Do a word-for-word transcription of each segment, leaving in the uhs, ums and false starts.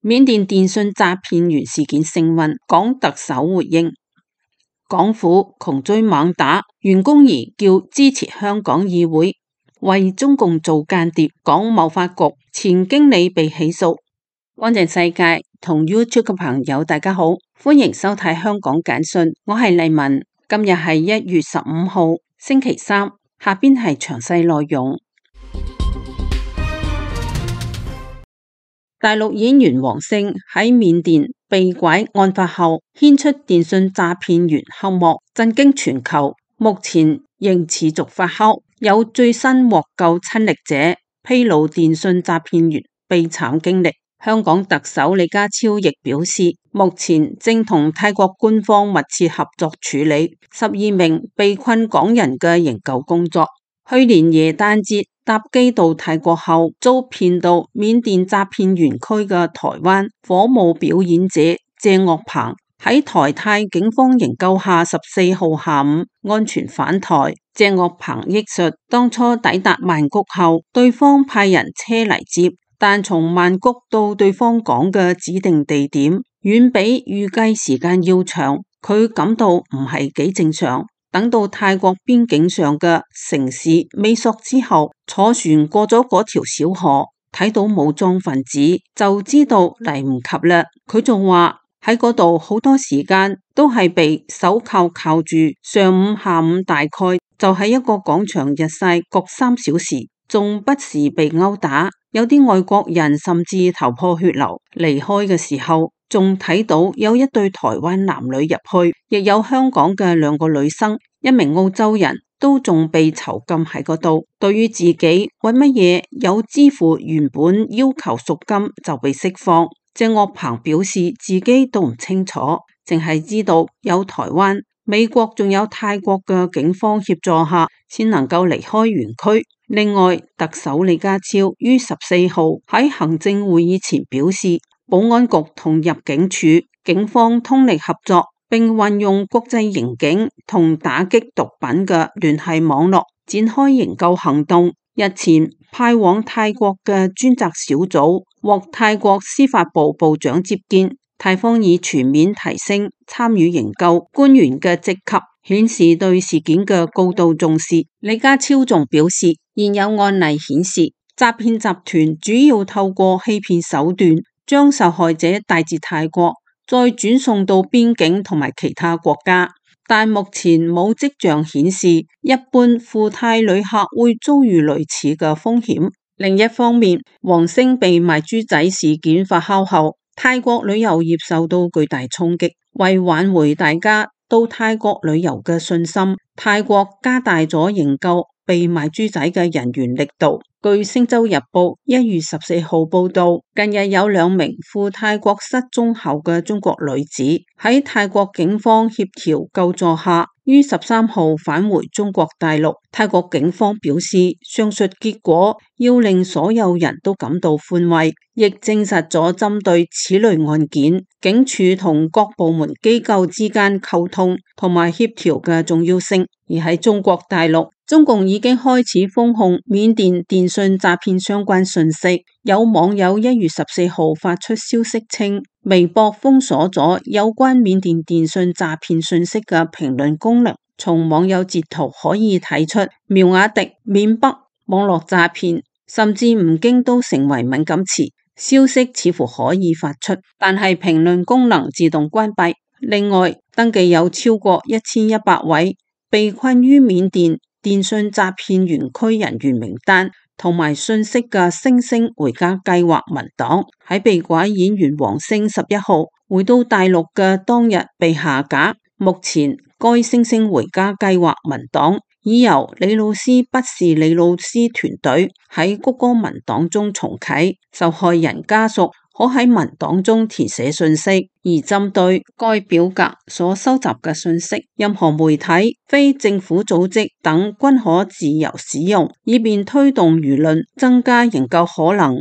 緬甸電信詐騙員事件升溫，港特首回應：港府窮追猛打，袁弓夷叫支持香港議會為中共做間諜，港貿發局前經理被起訴。安靜世界同 YouTube 嘅朋友大家好，歡迎收睇香港簡訊，我係麗文。今日係一月十五號星期三，下邊係詳細內容。大陸演員王星喺緬甸被拐案發後，牽出電信詐騙員黑幕，震驚全球。目前仍持續發酵，有最新獲救親歷者披露電信詐騙員悲慘經歷。香港特首李家超亦表示，目前正同泰國官方密切合作處理十二名被困港人嘅營救工作。去年耶誕節搭機到泰國後，遭騙到緬甸詐騙園區嘅台灣火舞表演者謝岳鵬喺台泰警方營救下，十四號下午安全返台。謝岳鵬憶述，當初抵達曼谷後，對方派人車嚟接，但從曼谷到對方講嘅指定地點，遠比預計時間要長，佢感到唔係幾正常。等到泰國邊境上嘅城市美索之後，坐船過咗嗰條小河，睇到武裝分子，就知道嚟唔及啦。佢仲話喺嗰度好多時間都係被手銬銬住，上午下午大概就喺一個廣場日曬各三小時，仲不時被毆打，有啲外國人甚至頭破血流。離開嘅時候仲睇到有一對台灣男女入去，亦有香港嘅兩個女生，一名澳洲人都仲被囚禁喺嗰度。對於自己為乜嘢有支付原本要求贖金就被釋放，謝岳鵬表示自己都唔清楚，淨係知道有台灣、美國仲有泰國嘅警方協助下，先能夠離開園區。另外，特首李家超於十四號喺行政會議前表示，保安局同入境處、警方通力合作，並運用國際刑警同打擊毒品嘅聯繫網絡，展開營救行動。日前派往泰國嘅專責小組獲泰國司法部部長接見，泰方已全面提升參與營救官員嘅職級，顯示對事件嘅高度重視。李家超仲表示，現有案例顯示，詐騙集團主要透過欺騙手段，將受害者帶至泰國，再轉送到邊境同埋其他國家，但目前冇跡象顯示一般赴泰旅客會遭遇類似嘅風險。另一方面，王星被賣豬仔事件發酵後，泰國旅遊業受到巨大衝擊。為挽回大家到泰國旅遊嘅信心，泰國加大咗營救被賣豬仔嘅人員力度。據星洲日報一月十四號報道，近日有兩名赴泰國失蹤後嘅中國女子喺泰國警方協調救助下，於十三號返回中國大陸。泰國警方表示，上述結果要令所有人都感到寬慰，亦證實咗針對此類案件，警署同各部門機構之間溝通同埋協調嘅重要性。而喺中國大陸，中共已經開始封控緬甸電信詐騙相關信息。有網友一月十四號發出消息稱，微博封鎖咗有關緬甸電信詐騙信息嘅評論功能。從網友截圖可以睇出，苗瓦迪、緬北、網絡詐騙，甚至吳京都成為敏感詞。消息似乎可以發出，但係評論功能自動關閉。另外，登記有超過一千一百位被困於緬甸電信詐騙園區人員名單同埋信息嘅星星回家計劃文檔，喺被拐演員王星十一號回到大陸嘅當日被下架。目前該星星回家計劃文檔已由李老師不是李老師團隊喺谷歌文檔中重啟，受害人家屬可喺文檔中填寫信息，而針對該表格所收集嘅信息，任何媒體、非政府組織等均可自由使用，以便推動輿論，增加營救可能。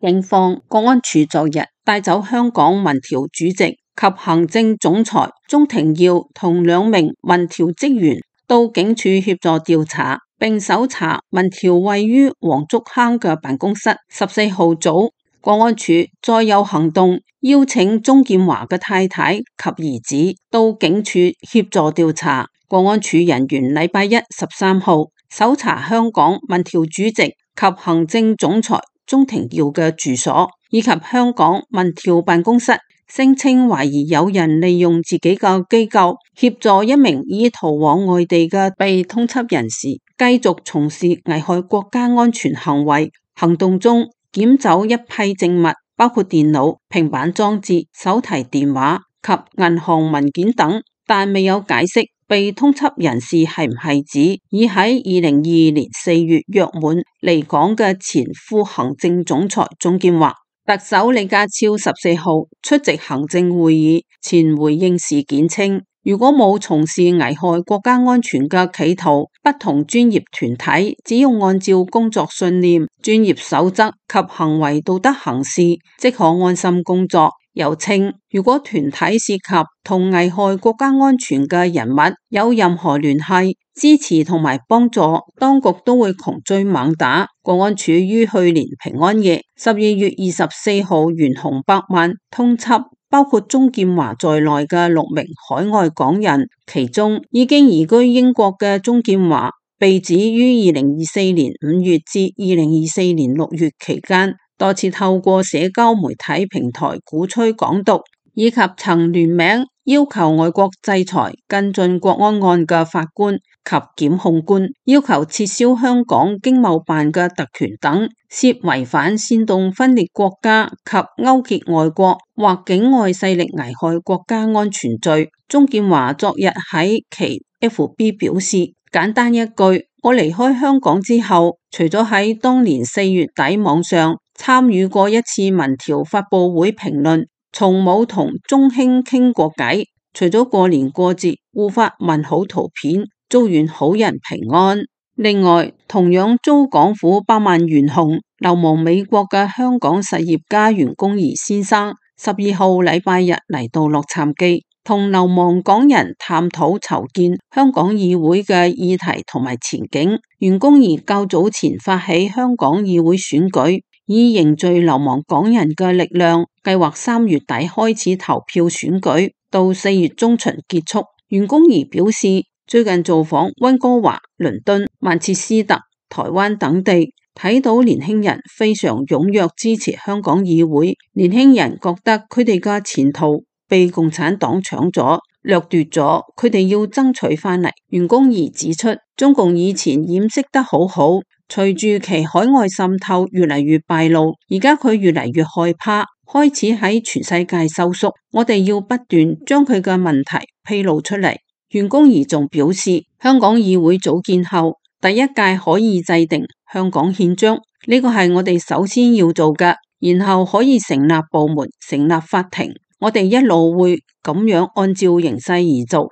警方國安處昨日帶走香港民調主席及行政總裁鍾庭耀同兩名民調職員到警署協助調查，並搜查民調位於黃竹坑嘅辦公室。十四號早，國安處再有行動，邀請鍾劍華嘅太太及兒子到警署協助調查。國安處人員禮拜一十三號搜查香港民調主席及行政總裁鍾庭耀嘅住所，以及香港民調辦公室，聲稱懷疑有人利用自己嘅機構協助一名已逃往外地嘅被通緝人士繼續從事危害國家安全行為。行動中檢走一批證物，包括電腦、平板裝置、手提電話及銀行文件等，但未有解釋被通緝人士係唔係指已喺二零二二年四月約滿離港嘅前副行政總裁鍾劍華。特首李家超十四號出席行政會議前回應事件稱，如果冇從事危害國家安全嘅企圖，不同專業團體只要按照工作信念、專業守則及行為道德行事，即可安心工作。又稱，如果團體涉及同危害國家安全嘅人物有任何聯繫、支持同埋幫助，當局都會窮追猛打。國安處於去年平安夜十二月二十四號懸紅百萬通緝包括鍾劍華在內嘅六名海外港人，其中已經移居英國嘅鍾劍華被指於二零二四年五月至二零二四年六月期間多次透過社交媒體平台鼓吹港獨，以及曾聯名要求外國制裁跟進國安案嘅法官及檢控官，要求撤銷香港經貿辦嘅特權等，涉違反煽動分裂國家及勾結外國或境外勢力危害國家安全罪。鍾劍華昨日喺其 F B 表示，簡單一句，我離開香港之後，除咗喺當年四月底網上參與過一次民調發佈會評論，從冇同鍾兄傾過偈，除咗過年過節互發問好圖片，祝願好人平安。另外，同樣遭港府百萬懸紅流亡美國嘅香港實業家袁弓夷先生，十二號禮拜日嚟到洛杉磯，同流亡港人探討籌建香港議會嘅議題同埋前景。袁弓夷較早前發起香港議會選舉，以凝聚流亡港人嘅力量，計劃三月底開始投票選舉，到四月中旬結束。袁弓夷表示，最近造訪溫哥華、倫敦、曼徹斯特、台灣等地，睇到年輕人非常踴躍支持香港議會，年輕人覺得佢哋嘅前途被共產黨搶咗、掠奪咗，佢哋要爭取翻嚟。袁弓夷指出，中共以前掩飾得好好，隨住其海外滲透越嚟越敗露，而家佢越嚟越害怕，開始喺全世界收縮。我哋要不斷將佢嘅問題披露出嚟。袁弓夷仲表示，香港議會組建後，第一屆可以制定香港憲章，呢個係我哋首先要做嘅，然後可以成立部門、成立法庭。我哋一路會咁樣按照形勢而做。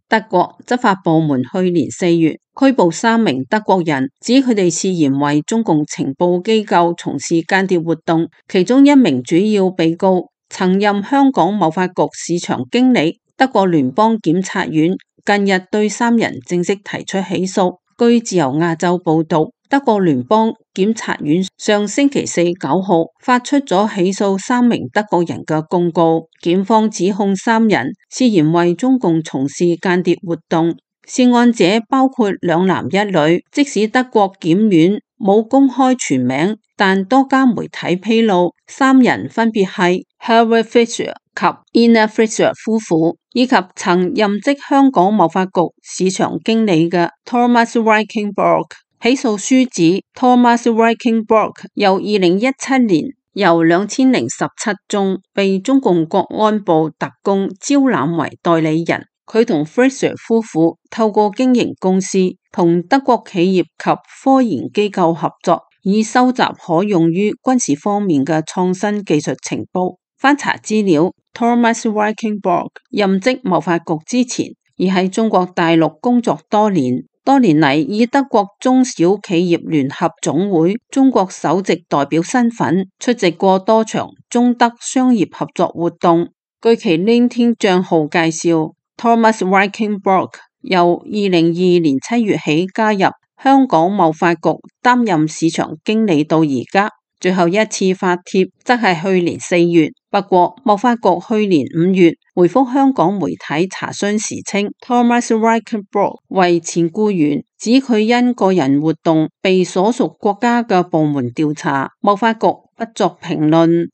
德國執法部門去年四月拘捕三名德國人，指佢哋涉嫌為中共情報機構從事間諜活動，其中一名主要被告曾任香港貿發局市場經理。德國聯邦檢察院近日對三人正式提出起訴。據自由亞洲報道，德國聯邦檢察院上星期四九號發出咗起訴三名德國人嘅公告，檢方指控三人涉嫌為中共從事間諜活動，涉案者包括兩男一女。即使德國檢院冇公開全名，但多家媒體披露，三人分別係 Helve Fischer 及 Ina Fischer 夫婦，以及曾任職香港貿發局市場經理嘅 Thomas Reichenborg。起訴書指 Thomas Reichenborg 由二零一七年由兩千零十七宗被中共國安部特工招攬為代理人。佢同 Fischer 夫婦透過經營公司，同德國企業及科研機構合作，以收集可用於軍事方面嘅創新技術情報。翻查資料， Thomas Reichenborg 任職貿發局之前，已喺中國大陸工作多年。多年嚟以德國中小企業聯合總會中國首席代表身份出席過多場中德商業合作活動。據其 LinkedIn 賬號介紹， Thomas Reichenbach 由二零二二年七月起加入香港貿發局擔任市場經理到而家，最後一次發帖則係去年四月。不過貿發局去年五月回覆香港媒體查詢時稱 Thomas Reichenbach 為前僱員，指佢因個人活動被所屬國家嘅部門調查，貿發局不作評論。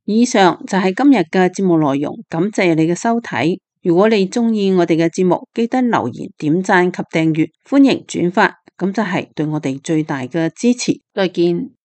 以上就係今日嘅節目內容，感謝你嘅收睇。如果你鍾意我哋嘅節目，記得留言、點讚及訂閱，歡迎轉發，咁就係對我哋最大嘅支持。再見。